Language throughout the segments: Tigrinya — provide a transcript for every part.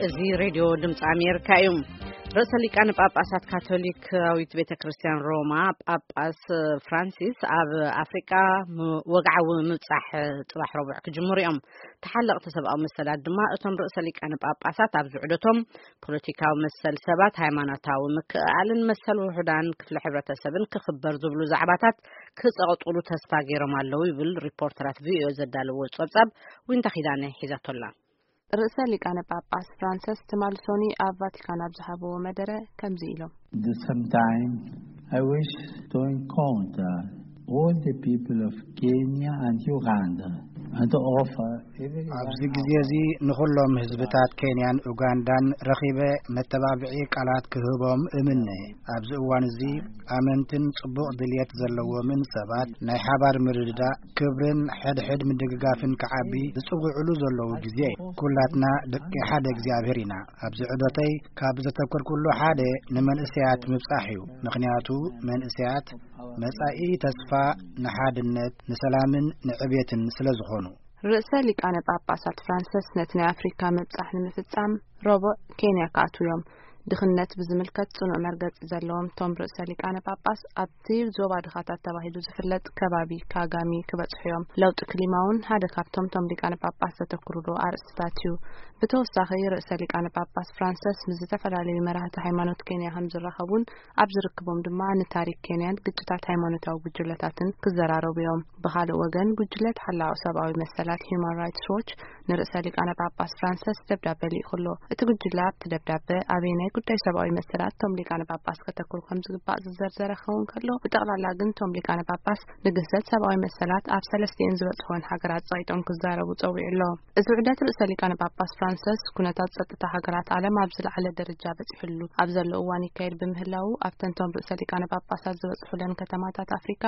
እዚ ሬድዮ ድምፂ ኣሜሪካ እዩ። ርእሰ ሊቃነ ጳጳሳት ካቶሊካዊት ቤተ ክርስቲያን ሮማ ጳጳስ ፍራንሲስ ኣብ ኣፍሪቃ ም- ወግዓዊ ምብጻሕ ጽባሕ ረቡዕ ክጅምሩ እዮም። ተሓለቕቲ ሰብኣዊ መሰላት ድማ እቶም ርእሰ ሊቃነ ጳጳሳት ኣብ ዝዕደቶም ፖለቲካዊ መሰል ሰባት፣ ሃይማኖታዊ ምክእኣልን መሰል ውሑዳን ክፍለ ሕብረተሰብን ክኽበር ዝብሉ ዛዕባታት ክጸቕጥሉ ተስፋ ገይሮም ኣለዉ ይብል ሪፖርተራት ቪኦኤ ዘዳለዎ ጸብጻብ። ዊንታ ኪዳነ ሒዛቶላ። ርእሰ ሊቃነ ጳጳስ ፍራንሰስ ትማሊ ሶኒ ኣብ ቫቲካን ኣብ ዝሃብዎ መደረ ከምዚ ኢሎም። At the same time, I wish to encounter all the people of Kenya and Uganda and offer everyone ኣብዚ ግዜ እዚ ንኹሎም ህዝብታት ኬንያን ኡጋንዳን ረኺበ መተባብዒ ቃላት ክህቦም እምነ። ኣብዚ እዋን እዚ ኣመንትን ጽቡቕ ድልየት ዘለዎምን ሰባት ናይ ሓባር ምርድዳእ፣ ክብርን ሕድሕድ ምድግጋፍን ክዓቢ ዝጽውዕሉ ዘለዉ ግዜ እዩ። ኩላትና ደቂ ሓደ እግዚኣብሔር ኢና። ኣብዚ ዑደተይ ካብ ዘተኮርኩሉ ሓደ ንመንእሰያት ምብጻሕ እዩ። ምኽንያቱ መንእሰያት መጻኢ ተስፋ ንሓድነት፣ ንሰላምን ንዕቤትን ስለ ዝኾኑ። ርእሰ ሊቃነ ጳጳሳት ፍራንሰስ ነቲ ናይ ኣፍሪካ ምብጻሕ ንምፍጻም ረቡዕ ኬንያ ክኣትዉ እዮም። ድኽነት ብዝምልከት ጽኑዕ መርገጺ ዘለዎም እቶም ርእሰ ሊቃነ ጳጳስ ኣብቲ ዞባ ድኻታት ተባሂሉ ዝፍለጥ ከባቢ ካጋሚ ክበጽሑ እዮም። ለውጢ ክሊማ እውን ሓደ ካብቶም እቶም ሊቃነ ጳጳስ ዘተኩሩሉ ኣርእስትታት እዩ። ብተወሳኺ ርእሰ ሊቃነ ጳጳስ ፍራንሰስ ምስ ዝተፈላለዩ መራህቲ ሃይማኖት ኬንያ ከም ዝራኸቡን ኣብ ዝርክቦም ድማ ንታሪክ ኬንያን ግጭታት ሃይማኖታዊ ጉጅለታትን ክዘራረቡ እዮም። ብኻልእ ወገን ጉጅለ ተሓላቒ ሰብኣዊ መሰላት ሂዩማን ራይትስ ዎች ንርእሰ ሊቃነ ጳጳስ ፍራንሰስ ደብዳበ ልኢኹ ኣሎ። እቲ ጉጅለ ኣብቲ ደብዳበ ኣበየናይ ጉዳይ ሰብኣዊ መሰላት እቶም ሊቃነ ጳጳስ ከተኩሩ ከም ዝግባእ ዝዘርዘረ ክኸውን ከሎ፣ ብጠቕላላ ግን እቶም ሊቃነ ጳጳስ ንግህሰት ሰብኣዊ መሰላት ኣብ ሰለስቲኤን ዝበጽሕወን ሃገራት ጸቒጦም ክዛረቡ ጸዊዑ ኣሎ። እዚ ውዕደት ርእሰ ሊቃነ ጳጳስ ፍራንሰስ ኩነታት ጸጥታ ሃገራት ዓለም ኣብ ዝለዓለ ደረጃ በጺሕሉ ኣብ ዘሎ እዋን ይካየድ ብምህላዉ ኣብተን እቶም ርእሰ ሊቃነ ጳጳሳት ዝበጽሑለን ከተማታት ኣፍሪካ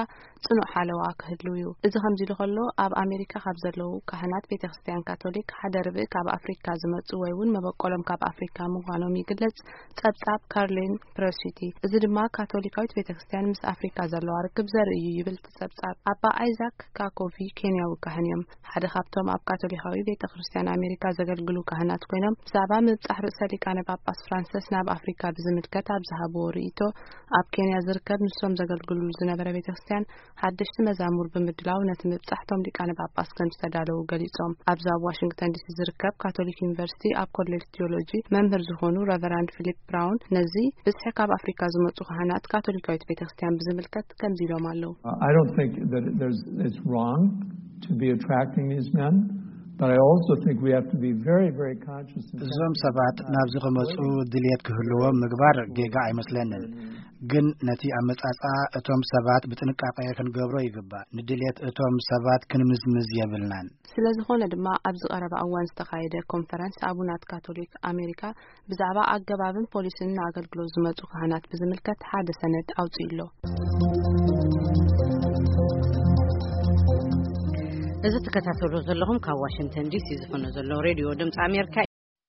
ጽኑዕ ሓለዋ ክህልው እዩ። እዚ ከምዚ ኢሉ ከሎ ኣብ ኣሜሪካ ካብ ዘለዉ ካህናት ቤተ ክርስቲያን ካቶሊክ ሓደ ርብእ ካብ ኣፍሪካ ዝመጹ ወይ እውን መበቆሎም ካብ ኣፍሪካ ምዃኖም ይግለጽ። ጸብጻብ ካርሊን ፕረሲቲ። እዚ ድማ ካቶሊካዊት ቤተ ክርስቲያን ምስ ኣፍሪካ ዘለዋ ርክብ ዘርኢ እዩ ይብል እቲ ጸብጻብ። ኣባ ኣይዛክ ካኮቪ ኬንያዊ ካህን እዮም። ሓደ ካብቶም ኣብ ካቶሊካዊ ቤተ ክርስቲያን ኣሜሪካ ዘገልግሉ ካህናት ኮይኖም ብዛዕባ ምብጻሕ ርእሰ ሊቃነ ጳጳስ ፍራንሰስ ናብ ኣፍሪካ ብዝምልከት ኣብ ዝሃብዎ ርእይቶ ኣብ ኬንያ ዝርከብ ንሶም ዘገልግሉሉ ዝነበረ ቤተ ክርስቲያን ሓደሽቲ መዛሙር ብምድላው ነቲ ምብጻሕ እቶም ሊቃነ ጳጳስ ከም ዝተዳለዉ ገሊጾም። ኣብዚ ኣብ ዋሽንግተን ዲሲ ዝርከብ ካቶሊክ ዩኒቨርሲቲ ኣብ ኮሌጅ ቲዮሎጂ መምህር ዝኾኑ ረቨራንድ ፊሊፕ ብራውን ነዚ ብዝሒ ካብ ኣፍሪካ ዝመጹ ካህናት ካቶሊካዊት ቤተክርስትያን ብዝምልከት ከምዚ ኢሎም ኣለዉ። I don't think that there's, it's wrong to be attracting these men, but I also think we have to be very, very conscious in እዞም ሰባት ናብዚ ክመጹ ድልየት ክህልዎም ምግባር ጌጋ ኣይመስለንን። ግን ነቲ ኣመጻጽኣ እቶም ሰባት ብጥንቃቄ ክንገብሮ ይግባእ። ንድልየት እቶም ሰባት ክንምዝምዝ የብልናን። ስለ ዝኾነ ድማ ኣብዚ ቀረባ እዋን ዝተኻየደ ኮንፈረንስ ኣቡናት ካቶሊክ ኣሜሪካ ብዛዕባ ኣገባብን ፖሊሲን ንኣገልግሎት ዝመጹ ካህናት ብዝምልከት ሓደ ሰነድ ኣውጺኡ ኣሎ። እዚ ትከታተሉ ዘለኹም ካብ ዋሽንግተን ዲሲ ዝኾነ ዘሎ ሬድዮ ድምፂ ኣሜሪካ